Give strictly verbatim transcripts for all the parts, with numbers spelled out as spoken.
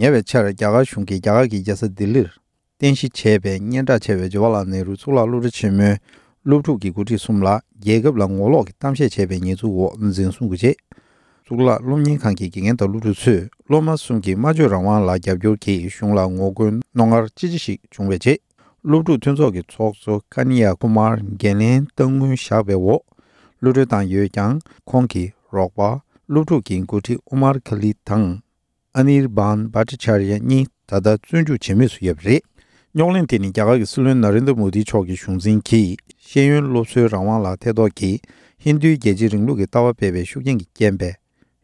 ཉེ་བའི་ཆར་རྒྱ་གར་གཞུང་གིས་རྒྱ་གར་གྱི་རྒྱལ་ས་ལྡི་ལིར་རྟེན་གཞི་བྱས་པའི་སྙན་གྲགས་ཆེ་བའི་ཇ་ཝར་ལལ་ནེ་རུ་གཙུག་ལག་སློབ་གྲྭ་ཆེན་མོའི་སློབ་ཕྲུག་གི་འགོ་ཁྲིད་གསུམ་ལ་རྒྱལ་ཁབ་ལ་ངོ་ལོག་གི་གཏམ་བཤད་བྱས་པའི་ཉེས་འཛུགས་འོག་འཛིན་བཟུང་གི་རྗེས། གཙུག་ལག་སློབ་གཉེར་ཁང་གི་དགེ་རྒན་དང་སློབ་ཕྲུག་ཚོས་སློབ་མ་གསུམ་གྱི་སྨྲ་བརྗོད་རང་དབང་ལ་རྒྱབ་སྐྱོར་གྱིས་གཞུང་ལ་ངོ་རྒོལ་རྣོ་ངར་ཅི་ཆེ་ཞིག་བྱུང་བའི་རྗེས། སློབ་ཕྲུག་མཐུན་ཚོགས་ཀྱི་ཚོགས་གཙོ་ཀན་ཡ་ཀུ་མར་འགན་ལེན་གཏང་དངུལ་བཞག་པའི་འོག་གློད་གྲོལ་བཏང་ཡོད་ཀྱང་། ཁོང་གི་རོགས་པ་སློབ་ཕྲུག་གི་འགོ་ཁྲིད་ཨུ་མར་ཁ་ལིད་དང་། ཨ་ནིར་བྷན་བྷ་ཊ་ཆར་ཡ་གཉིས་ད་ལྟ་བཙོན་འཇུག་བྱེད་མུས་སུ་ཡོད་པ་རེད། རྙོག་གླེང་དེ་ནི་རྒྱ་གར་གྱི་སྲིད་བློན་ན་རེན་དྲ་མོ་དི་མཆོག་གི་གཞུང་འཛིན་གྱིས་ཤེས་ཡོན་སློབ་གསོའི་རང་དབང་ལ་ཐེ་གཏོགས་ཀྱིས་ཧིན་རྡུའི་རྒྱལ་གཅེས་རིང་ལུགས་ཀྱི་ལྟ་བ་སྤེལ་བའི་ཤུགས་རྐྱེན་གྱི་རྐྱེན་པས་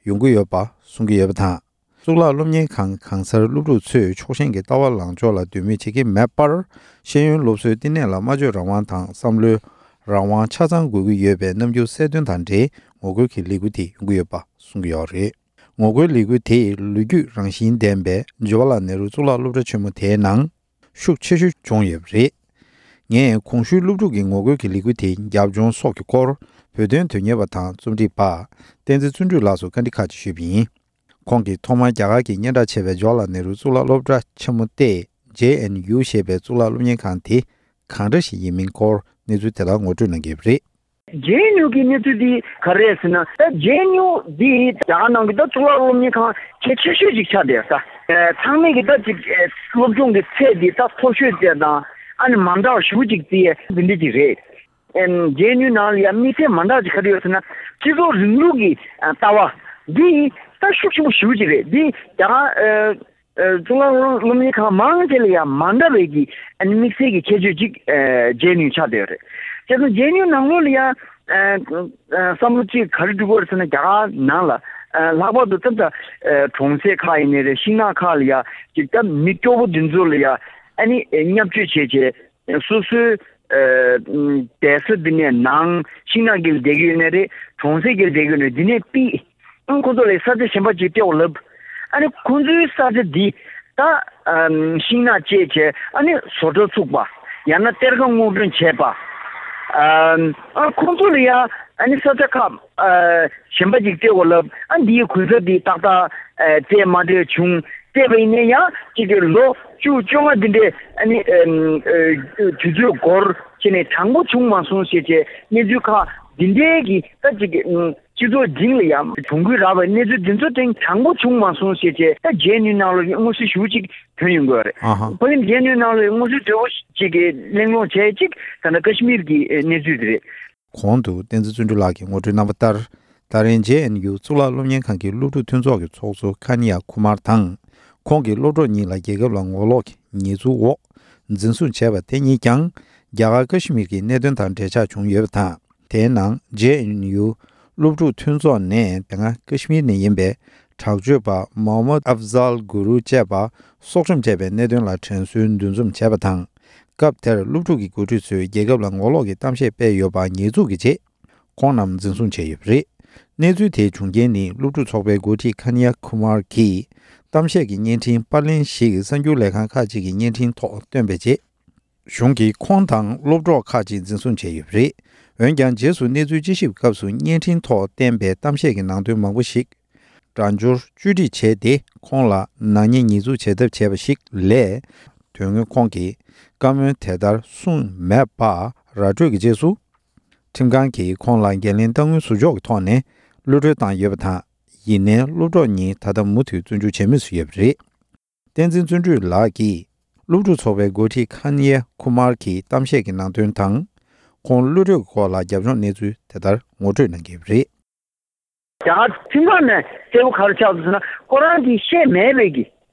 ཡོང་གི་ཡོད་པ་གསུང་གི་ཡོད་པ་དང་། གཙུག་ལག་སློབ་གཉེར་ཁང་གང་སར་སློབ་ཕྲུག་ཚོས་ཕྱོགས་ཞེན་གྱི་ལྟ་བ་ལངས་ཕྱོགས་ལ་འདོད་མོས་བྱེད་ཀྱི་མེད་པར། ཤེས་ཡོན་སློབ་གསོའི་བསྟི་གནས་ལ་སྨྲ་བརྗོད་རང་དབང་དང་བསམ་བློའི་རང་དབང་ཆ་ཚང་དགོས་ཀྱི་ཡོད་པའི་རྣམ་འགྱུར་གསལ་སྟོན་དང་འབྲེལ་ངོ་རྒོལ་གྱི་ལས་འགུལ་དེ་ཡོང་གི་ཡོད་པ་གསུང་གི་ཡོད་རེད། ངོ་རྒོལ་ལས་འགུལ་དེས་ལོ་རྒྱུས་རང་བཞིན་ལྡན་པའི་ཇ་ཝར་ལལ་ནེ་རུ་གཙུག་ལག་སློབ་གྲྭ་ཆེན་མོ་དེའི་ནང་ཤུགས་ཆེ་ཤོས་བྱུང་ཡོད་པ་རེད། ངས་གོང་ཞུས་སློབ་ཕྲུག་གི་ངོ་རྒོལ་གྱི་ལས་འགུལ་དེའི་རྒྱབ་ལྗོངས་སོགས་ཀྱི་སྐོར་བོད་དོན་དོན་གཉེར་བ་དང་རྩོམ་སྒྲིག་པ་བསྟན་འཛིན་བརྩོན་འགྲུས་ལགས་སུ་བཀའ་འདྲི་ཁག་ཅིག་ཞུས་པ་ཡིན། ཁོང་གིས་ཐོག་མར་རྒྱ་གར་གྱི་སྙན་གྲགས་ཆེ་བའི་ཇ་ཝར་ལལ་ནེ་རུ་གཙུག་ལག་སློབ་གྲྭ་ཆེན་མོ་སྟེ། ཇེ་ཨེན་ཡུ་ཞེས་པའི་གཙུག་ལག་སློབ་གཉེར་ཁང་དེ་གང་འདྲ་ཞིག་ཡིན་མིན་སྐོར་གནས་ཚུལ་དེ་ལ་ངོ་སྤྲོད་གནང་གི་ཡོད་པ་རེད། ཇེ་ཨེན་ཡུ་གི་གནས་ཚུལ་འདི་ག་རེ་རེད་ཟེར་ན། ད་ཇེ་ཨེན་ཡུ་འདི་རྒྱ་གར་ནང་གི་ད་གཙུག་ལག་སློབ་གཉེར་ཁང་གལ་ཆེ་ཤོས་ཅིག་ཆགས་བསྡད་ཡོད་ས། ཚང་མས་ཀྱི་ད་ཅིག་སློབ་སྦྱོང་གི་ཚད་འདི་ད་མཐོ་ཤོས་བཅས་དང་། ཨ་ནི་མ་འདྲ་བ་ཞེ་པོ་ཅིག་བརྩི་ཡས་འདི་འདྲ་ཅིག་རེད། ཨེམ། ཇེ་ཨེན་ཡུ་ནང་ལ་ཡང་དམིགས་བསལ་མ་འདྲ་ཅིག་ག་རེ་ཡོད་ཟེར་ན། སྤྱི་ཚོགས་རིང་ལུགས་ཀྱི་ཨ་ལྟ་བ་འདི་ད་ཤུགས་ཆེན་པོ་ཞེ་པོ་ཅིག་རེད། འདི་རྒྱ་གར་ཨ་ཨ་གཙུག་ལག་སློབ་གཉེར་ཁང་མང་ཆེ་ལ་ཡང་མ་འདྲ་བའི་གི་ཨ་ནི་དམིགས་བསལ་གྱི་ཁྱད་ཆོས་ཅིག་ཨ་ཇེ་ཨེན་ཡུ་ཆགས་བསྡད་ཡོད་རེད། བྱས་ཙང་ཇེ་ཨེན་ཡུ་ནང་ལོགས་ལ་ཡང་ཨ་ཨ་བསམ་བློ་ཅིག་ག་རེ་འགྲོ་གི་ཡོད་རེད་ཟེར་ན། རྒྱ་གར་ནང་ལ་ཨ་ལྷག་པར་དུ་ཙམ་ཙམ་ཨ་གྲོང་གསེབ་ཁག་ཡིན་ནའི་རེད། ཤིང་ནགས་ཁག་ལ་ཡང་ཅིག་ད་མི་སྐྱོ་པོ་འདི་ཚོ་ལ་ཡང་ཨ་ནི་བརྙས་བཅོས་བྱས་བྱས། སོ་སོའི་ཨ་བསྡད་ས་འདི་ནས་ནང་ཤིང་ནགས་ཀྱི་བསྡད་ཀྱི་ཡོད་ནའི་རེད། གྲོང་གསེབ་ཀྱི་བསྡད་ཀྱི་ཡོད་ནའི་འདི་ནས་ཕུད། ཨང་། ཁོ་ཚོ་ལ་ས་ཆ་གཞན་པ་ཅིག་སྤྲད་དགོས་ལབ། ཨ་ནི་ཁོ་ཚོའི་ས་ཆ་འདི་ད་ཨ་ཤིང་ནགས་བཅད་བྱས། ཨ་ནི་བཟོ་གྲྭ་བཙུགས་པ། ཡང་ན་གཏེར་ཁ་སྔོག་འདོན་བྱས་པ། ཨ་ཨ་ཁོ་ཚོ་ལ་ཡང་ཨ་ནི་ས་ཆ་ཁག་ཨ་གཞན་པ་ཅིག་སྤྲད་དགོས་ལབ། ཨ་འདིའི་གུན་གསབ་འདི་ཏག་ཏག་ཨ་སྤྲད་མ་སྤྲད་བྱུང་། སྤྲད་པ་ཡིན་ན་ཡང་གཅིག་གི་ལོ་བཅུ་བཅོ་ལྔ་འདི་འདྲའི་ཨ་ནི་ཨ་ཨ་དུས་ཚོད་འགོར་བྱས་ནས་དྲང་པོ་བྱུང་མ་སོང་ཞེས་བྱས་གནས་ཚུལ་ཁག་འདི་འདྲའི་གི་ད་གཅིག་གི་ཨ་སྤྱི་ཚོགས་སྟེང་ལ་ཡང་གྱོང་གུན་རག་པའི་གནས་ཚུལ་འདི་ཚོ་དེ་དྲང་པོ་བྱུང་མ་སོང་ཞེས་བྱས། ད་ཇེ་ཨེན་ཡུ་ནང་ལ་མངོན་གསལ་ཞེ་པོ་ཅིག་ཐོན་ཡོང་གི་ཡོད་རེད། ཨ་ཧ། ཕ་གི་ཇེ་ཨེན་ཡུ་ནང་ལ་མངོན་གསལ་དོད་པོ་ཅིག་གི་གླེང་སློང་བྱས་ཅིག་ད་ལྟ་ཀ་ཤི་མིར་གྱི་གནས་ཚུལ་དེ་རེད། གོང་དུ་བསྟན་འཛིན་བརྩོན་འགྲུས་ལགས་ཀྱིས་ངོ་སྤྲོད་གནང་བ་ལྟར། ད་རིང་ཇེ་ཨེན་ཡུ་གཙུག་ལག་སློབ་གཉེར་ཁང་གི་སློབ་ཕྲུག་མཐུན་ཚོགས་ཀྱི་ཚོགས་གཙོ་ཁན་ཡ་ཁུ་མར་དང་། ཁོང་གི་སློབ་གྲོགས་གཉིས་ལ་རྒྱལ་ཁབ་ལ་ངོ་ལོག་གི་ཉེས་འཛུགས་འོག་འཛིན་བཟུང་བྱས་པ་དེ་གཉིས་ཀྱང་རྒྱ་གར་ཀ་ཤི་མིར་གྱི་གནད་དོན་དང་འབྲེལ་ཆགས་བྱུང་ཡོད་པ་དང་། དེའི་ནང་ཇེ་ཨེན་ཡུ་སློབ་ཕྲུག་མཐུན་ཚོགས་ནས་དེ་སྔ་ཀ་ཤི་མིར་ནས་ཡིན་པའི་དྲག་སྤྱོད་པ་མོ་ཧམ་མད་ཨབ་ཛལ་གུ་རུ་བཅས་པ་སྲོག་ཁྲིམས་བཅད་པའི་གནད་དོན་ལ་དྲན་གསོའི་འདུ་འཛོམས་བྱས་པ་དང་། སྐབས་དེར་སློབ་ཕྲུག་གི་འགོ་ཁྲིད་ཚོས་རྒྱལ་ཁབ་ལ་ངོ་ལོག་གི་གཏམ་བཤད་སྤེལ་ཡོད་པ་ཉེས་འཛུགས་ཀྱི་རྗེས། ཁོང་རྣམས་འཛིན་བཟུང་བྱས་ཡོད་པ་རེད། གནས་ཚུལ་དེའི་བྱུང་རྐྱེན་ནི་སློབ་ཕྲུག་ཚོགས་པའི་འགོ་ཁྲིད་ཁན་ཡ་ཁུ་མར་གྱིས་གཏམ་བཤད་ཀྱི་བརྙན་འཕྲིན་པར་ལེན་ཞིག་གསར་འགྱུར་ལས་ཁང་ཁག་ཅིག་གི་བརྙན་འཕྲིན་ཐོག་བཏོན་པའི་རྗེས། གཞུང་གིས་ཁོང་དང་སློབ་གྲོགས་ཁག་ཅིག་འཛིན་བཟུང་བྱས་ཡོད་པ་རེད། འོན་ཀྱང་རྗེས་སུ་གནས་ཚུལ་དཔྱད་ཞིབ་སྐབས་སུ་བརྙན་འཕྲིན་ཐོག་བསྟན་པའི་གཏམ་བཤད་ཀྱི་ནང་དོན་མང་པོ་ཞིག་སྒྲ་སྦྱོར་བཅོས་སྒྲིག་བྱས་ཏེ། ཁོང་ལ་ནག་ཉེས་ཉེས་འཛུགས་བྱེད་ཐབས་བྱས་པ་ཞིག་ལས། དོན་དངོས་ཁོང་གིས་བཀའ་མོལ་དེ་ལྟར་གསུངས་མེད་པ་ར་སྤྲོད་ཀྱི་རྗེས་སུ། ཁྲིམས་ཁང་གིས་ཁོང་ལ་འགན་ལེན་གཏང་དངུལ་ཟུར་འཇོག་གི་ཐོག་ནས་གློད་གྲོལ་བཏང་ཡོད་པ་དང་། ཡིན་ནའི་སློབ་གྲོགས་གཉིས་ད་ལྟ་མུ་མཐུད་བཙོན་འཇུག་བྱེད་མུས་སུ་ཡོད་པ་རེད། བསྟན་འཛིན་བརྩོན་འགྲུས་ལགས་ཀྱིས་སློབ་ཕྲུག་ཚོགས་པའི་འགོ་ཁྲིད་ཁན་ཡེ་ཁུ་མར་གྱི་གཏམ་བཤད་ཀྱི་ནང་དོན་དང་། ཁོང་གློད་གྲོལ་གྱི་སྐོར་ལ་རྒྱབ་ལྗོངས་གནས་ཚུལ་དེ་ལྟར་ངོ་སྤྲོད་གནང་གི་ཡོད་པ་རེད། རྒྱ་གར་ཁྲིམས་ཁང་ནས་གསལ་པོ་ག་རེ་ཆགས་འདུག་ཟེར་ན། ཁོ་རང་གིས་བཤད་མེད་པའི་གི་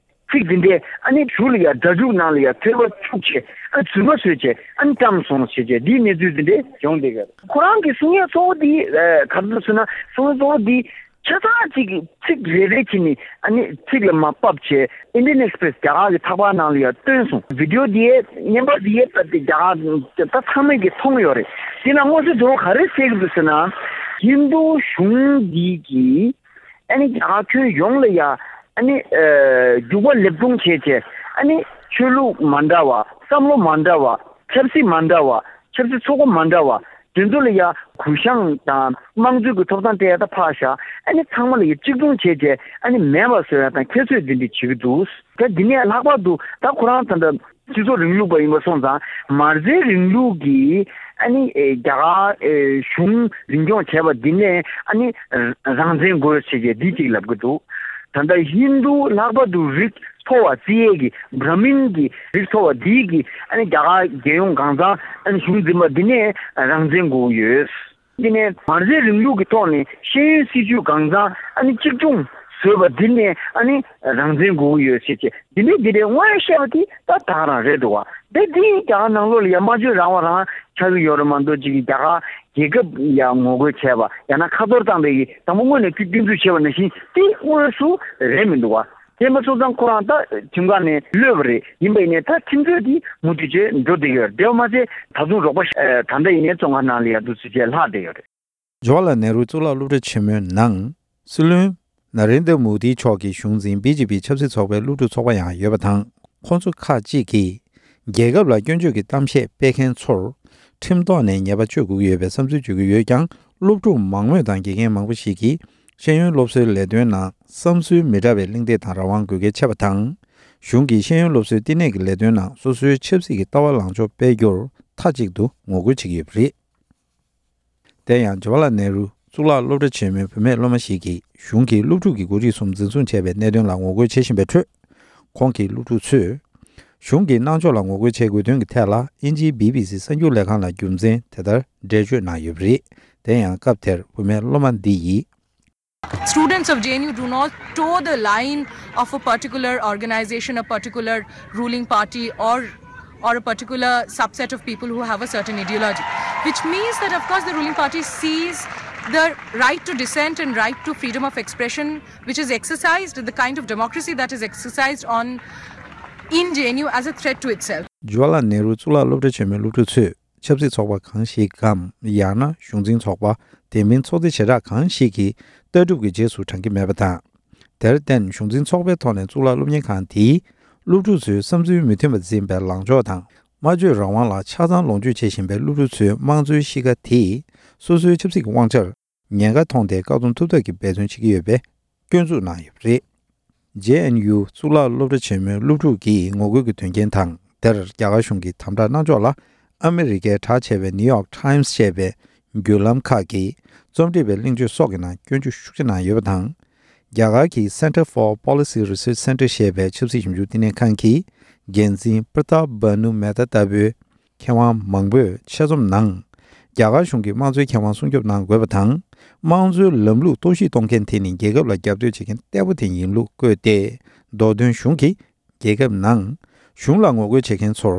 ཚིག་འདི་འདྲས་ཨ་ནི་གཞུག་ལ་ཡ་སྒྲ་འཇུག་ནང་ལ་ཡ་ཐོལ་པ་བཅུག་བྱས། ཨ་རྫུན་མ་བཟོས་བྱས། ཨ་ནི་བཀྲམ་སོང་བྱས་བྱས། འདིའི་གནས་ཚུལ་འདི་འདྲས་བྱུང་བསྡད་ཡོད། ཁོ་རང་གི་གསུང་ཡས་གཙོ་བོ་འདི་ཨ་ག་རེ་འདུག་ཟེར་ན། གསུང་ཡས་གཙོ་བོ་འདི་ཆ་ཚང་གཅིག་གི་ཚིག་རེ་རེ་བྱས་ནས་ཨ་ནི་ཚིག་ལ་མར་ཕབ་བྱས། ཨིན་ཌི་ཡན་ཨེག་སི་པི་རེ་སི་རྒྱ་གར་གྱི་ཚགས་པར་ནང་ལ་ཡང་བཏོན་སོང་། བི་ཌི་ཡོ་འདི་ཡས་བརྙན་པར་འདི་ཡས་ད་ལྟ་རྒྱ་གར་ད་ཚང་མས་ཀྱིས་མཐོང་ཡོད་རེད། འདི་ལ་མངོན་གསལ་དོད་པོ་ག་རེ་གསལ་གྱི་འདུག་ཟེར་ན། ཧིན་རྡུ་གཞུང་འདི་གིས་ཨ་ནི་རྒྱ་གར་ཁྱོན་ཡོངས་ལ་ཡ་ཨ་ནི་ཨ་རྒྱུག་པ་ལེབ་རྡུང་བྱས་བྱས། ཨ་ནི་ཆོས་ལུགས་མ་འདྲ་བ། བསམ་བློ་མ་འདྲ་བ། ཆབ་སྲིད་མ་འདྲ་བ། ཆབ་སྲིད་ཚོགས་པ་མ་འདྲ་བ། དེ་ཚོ་ལ་ཡ་གུ་ཡངས་དང་དམངས་གཙོའི་གི་ཐོབ་ཐང་སྤྲད་ཡ་ད་ཕར་བཞག་ཨ་ནི་ཚང་མ་ལ་ཡ་གཅིག་མཚུངས་བྱས་བྱས་ཨ་ནི་མེད་པ་བཟོ་ཡ་དང་ཁྱད་གསོད་འདི་འདྲ་བྱེད་ཀྱི་འདུག་ད་འདི་ནས་ལྷག་པར་དུ་ད་ཁོ་རང་ད་ལྟ་སྤྱི་ཚོགས་རིང་ལུགས་པ་ཡིན་པ་སོང་ཙང་མ་རྩའི་རིང་ལུགས་ཀྱི་ཨ་ནི་ཨེ་རྒྱ་གར་ཨེ་གཞུང་འཛིན་སྐྱོང་བྱས་པ་འདི་ནས་ཨ་ནི་རང་བཙན་དགོས་ཟེར་བྱས་འདི་གཅིག་ལབ་ཀྱི་འདུག་ད་ལྟ་ཧིན་རྡུ་ལྷག་པར་དུ་རིགས་མཐོ་བ་རྩིས་ཡས་ཀྱི་བྷྲ་མིན་གྱི་རིགས་མཐོ་བ་འདིས་ཀྱི་ཨ་ནི་རྒྱ་གར་རྒྱལ་ཡོངས་གང་ཚང་ཨ་ནི་གཞུང་འཛིན་པ་འདི་ནས་རང་བཙན་དགོས་ཀྱི་ཡོད། འདི་ནས་མ་རྩའི་རིང་ལུགས་ཀྱི་ཐོག་ནས་ཤེས་ཡོན་སྲིད་བྱུས་གང་ཚང་ཨ་ནི་གཅིག་མཚུངས་བཟོས་པ་འདི་ནས་ཨ་ནི་རང་བཙན་དགོས་ཀྱི་ཡོད་ཟེར་བྱས་འདི་ནས་འདི་ནས་དངོས་བཤད་པ་དེ་ད་ད་ག་རང་རེད་འདུག་བ། དེ་འདི་རྒྱ་གར་ནང་ལོགས་ལ་ཡ་སྨྲ་བརྗོད་རང་དབང་རང་ཆགས་ཀྱི་ཡོད་རེད་མ་གཏོགས་ཅིག་རྒྱ་གར་རྒྱལ་ཁབ་ཡ་ངོ་རྒོལ་བྱས་པ་ཡང་ན་ཁ་གཏོར་བཏང་བའི་དང་པོ་དངོས་གནས་སྐྱོན་སྐྱོན་འཛུགས་བྱས་པ་ནང་བཞིན་དེ་དངོས་སུ་རེད་མི་འདུག་བ། དེ་མ་སོང་ཙང་ཁོ་རང་ད་ཁྲིམས་ཁང་ནས་གློད་པ་རེད། ཡིན་པ་ཡིན་ནའི་ད་ཁྲིམས་རྩོད་དེ་མུ་མཐུད་བྱས་འགྲོ་བསྡད་ཡོད་རེད། དེ་བ་མ་ཚད་ད་དུང་རོགས་པ་ཨ་ད་ལྟ་ཡིན་ནའི་བཙོན་ཁང་ནང་ལ་ཡ་འདུག་སེ་བྱས་ལྷག་བསྡད་ཡོད་རེད། ཇ་ཝ་ལ་ནེ་རུ་གཙུག་ལག་སློབ་གྲྭ་ཆེན་མོའི་ནང་སྲིད་བློན་ན་རེན་དྲ་མོ་དི་མཆོག་གི་གཞུང་འཛིན་བི་ཇེ་པི་ཆབ་སྲིད་ཚོགས་པའི་སློབ་ཕྲུག་ཚོགས་པ་ཡང་ཡོད་པ་དང་། ཁོང་ཚོ་ཁག་ཅིག་གིས་རྒྱལ་ཁབ་ལ་སྐྱོན་བརྗོད་ཀྱི་གཏམ་བཤད་སྤེལ་མཁན་ཚོར་ཁྲིམས་ཐོག་ནས་ཉེས་པ་གཅོད་དགོས་ཀྱི་ཡོད་པའི་བསམ་ཚུལ་བརྗོད་ཀྱི་ཡོད་ཀྱང་། སློབ་ཕྲུག་མང་མོས་དང་དགེ་རྒན་མང་པོ་ཞིག་གིས་ཤེས་ཡོན་སློབ་གསོའི་ལས་དོན་ནང་བསམ་ཚུལ་མི་འདྲ་བའི་གླེང་སྟེགས་དང་རང་དབང་དགོས་གལ་ཆེ་བ་དང་། གཞུང་གིས་ཤེས་ཡོན་སློབ་གསོའི་བསྟི་གནས་ཀྱི་ལས་དོན་ནང་སོ་སོའི་ཆབ་སྲིད་ཀྱི་ལྟ་བ་ལངས་ཕྱོགས་སྤེལ་རྒྱུར་མཐའ་གཅིག་ཏུ་ངོ་རྒོལ་བྱེད་ཀྱི་ཡོད་པ་རེད། དེ་ཡང་ཇ་ཝ་ལ་ནེ་རུ་གཙུག་ལག་སློབ་གྲྭ་ཆེན་མོའི་བུད་མེད་སློབ་མ་ཞིག་གིས་གཞུང་གིས་སློབ་ཕྲུག་གི་འགོ་ཁྲིད་གསུམ་འཛིན་བཟུང་བྱས་པའི་གནད་དོན་ལ་ངོ་རྒོལ་བྱེད་བཞིན་པའི་ཁྲོད། ཁོང་གིས་སློབ་ཕྲུག་ཚོས་གཞུང་གི་གནང་ཕྱོགས་ལ་ངོ་རྒོལ་བྱེད་དགོས་དོན་གྱི་ཐད་ལ་དབྱིན་ཇིའི་བི་བི་སི་གསར་འགྱུར་ལས་ཁང་ལ་རྒྱུ་མཚན་དེ་ལྟར་འགྲེལ་བརྗོད་གནང་ཡོད་པ་རེད། དེ་ཡང་སྐབས་དེར་བུད་མེད་སློབ་མ་འདི་ཡིས། Students of J N U do not toe the line of a particular organization, a particular ruling party, or or a particular subset of people who have a certain ideology, which means that, of course, the ruling party sees the right to dissent and right to freedom of expression, which is exercised, the kind of democracy that is exercised on in J N U, as a threat to itself. ཇ་ཝ་ལ་ནེ་རུ་གཙུག་ལག་སློབ་གྲྭ་ཆེན་མོའི་སློབ་ཕྲུག་ཚོས་ཆབ་སྲིད་ཚོགས་པ་གང་ཞིག་གམ། ཡང་ན་གཞུང་འཛིན་ཚོགས་པ། དེ་མིན་ཚོགས་སྡེ་བྱེ་བྲག་གང་ཞིག་གི་ལྟ་གྲུབ་ཀྱི་རྗེས་སུ་འབྲང་གི་མེད་པ་དང་། དེར་བརྟེན་གཞུང་འཛིན་ཚོགས་པའི་ཐོག་ནས་གཙུག་ལག་སློབ་གཉེར་ཁང་དེས་སློབ་ཕྲུག་ཚོའི་བསམ་ཚུལ་མི་མཐུན་པ་འཛིན་པའི་ལངས་ཕྱོགས་དང་། སྨྲ་བརྗོད་རང་དབང་ལ་ཆ་ཚང་ལོངས་སྤྱོད་བྱེད་བཞིན་པའི་སློབ་ཕྲུག་ཚོའི་དམངས་གཙོའི་གཤིས་ཀ་དེས་སོ་སོའི་ཆབ་སྲིད་ཀྱི་དབང་ཆར་ཉེན་ཁ་མཐོང་སྟེ་བཀག་སྡོམ་ཐུབ་ཐབས་ཀྱི་འབད་བརྩོན་བྱེད་ཀྱི་ཡོད་པའི་སྐྱོན་འཛུགས་གནང་ཡོད་པ་རེད། ཇེ་ཨེན་ཡུ་གཙུག་ལག་སློབ་གྲྭ་ཆེན་མོའི་སློབ་ཕྲུག་གིས་ངོ་རྒོལ་གྱི་དོན་རྐྱེན་དང་། དེར་རྒྱ་གར་གཞུང་གི་དམ་དྲག་གནང་ཕྱོགས་ལ་ཨ་མི་རི་ཀའི་གྲགས་ཆེ་བའི་ནིའུ་ཡོག་ཊའིམ་སི་ཞེས་པའི་བརྒྱུད་ལམ་ཁག་གིས་རྩོམ་སྒྲིག་པའི་གླེང་བརྗོད་སོགས་ཀྱི་ནང་སྐྱོན་བརྗོད་ཤུགས་ཆེ་གནང་ཡོད་པ་དང་། རྒྱ་གར་གྱི་Center for Policy Research Center ཞེས་པའི་ཆབ་སྲིད་ཞིབ་འཇུག་བསྟི་གནས་ཁང་གི་འགན་འཛིན་པྲ་ཏཱབ་བྷ་ནུ་མེ་ཏཱ་ལྟ་བུའི་མཁས་དབང་མང་པོས་ཆེད་རྩོམ་ནང་། རྒྱ་གར་གཞུང་གིས་དམངས་གཙོའི་ཁེ་དབང་སྲུང་སྐྱོབ་གནང་དགོས་པ་དང་། དམངས་གཙོའི་ལམ་ལུགས་གཏོར་བཤིག་གཏོང་མཁན་དེ་ནི་རྒྱལ་ཁབ་ལ་རྒྱབ་གཏོད་བྱེད་མཁན་གཏེ་པོ་དེ་ཡིན་ལུགས་བཀོད་དེ། མདོ་དོན་གཞུང་གིས་རྒྱལ་ཁབ་ནང་གཞུང་ལ་ངོ་རྒོལ་བྱེད་མཁན་ཚོར་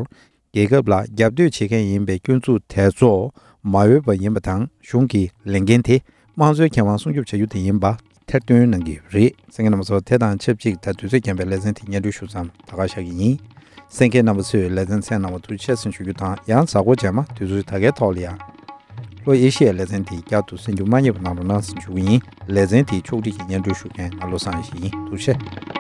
རྒྱལ་ཁབ་ལ་རྒྱབ་གཏོད་བྱེད་མཁན་ཡིན་པའི་སྐྱོན་འཛུགས་དེ་ཚོ་མ་འོས་པ་ཡིན་པ་དང་། གཞུང་གི་ལས་འགན་དེ་དམངས་གཙོའི་ཁེ་དབང་སྲུང་སྐྱོབ་བྱ་རྒྱུ་དེ་ཡིན་པ་ཐེར་འདོན་གནང་གི་ཡོད་པ་རེད། གསན་མཁན་རྣམ་པ་ཚོ། དེ་དང་ཆབས་ཅིག་ད་དུས་ཚོད་རྐྱེན་པས་ལེ་ཚན་དེ་སྙན་སྒྲོན་ཞུ་མཚམས་ད་ག་བཞག་གི་ཡིན། གསན་མཁན་རྣམ་པ་ཚོས་ལེ་ཚན་གསན་གནང་བར་ཐུགས་རྗེ་ཆེ་ཟེར་ཞུ་རྒྱུ་དང་། ཡང་གཟའ་འཁོར་རྗེས་མ་དུས་ཚོད་ད་གའི་ཐོག་ལ་ཡང་ལྷོ་ཨེ་ཤི་ཡའི་ལེ་ཚན་དེ་བསྐྱར་དུ་གསན་རྒྱུ་མ་བསྙེལ་བ་གནང་རོགས་གནང་ཟེར་ཞུ་གི་ཡིན། ལེ་ཚན་དེའི་ཕྱོགས་སྒྲིག་གི་སྙན་སྒྲོན་ཞུ་མཁན་ང་བློ་བཟང་ཡེ་ཤེས་ཡིན། ཐུགས་རྗེ་ཆེ།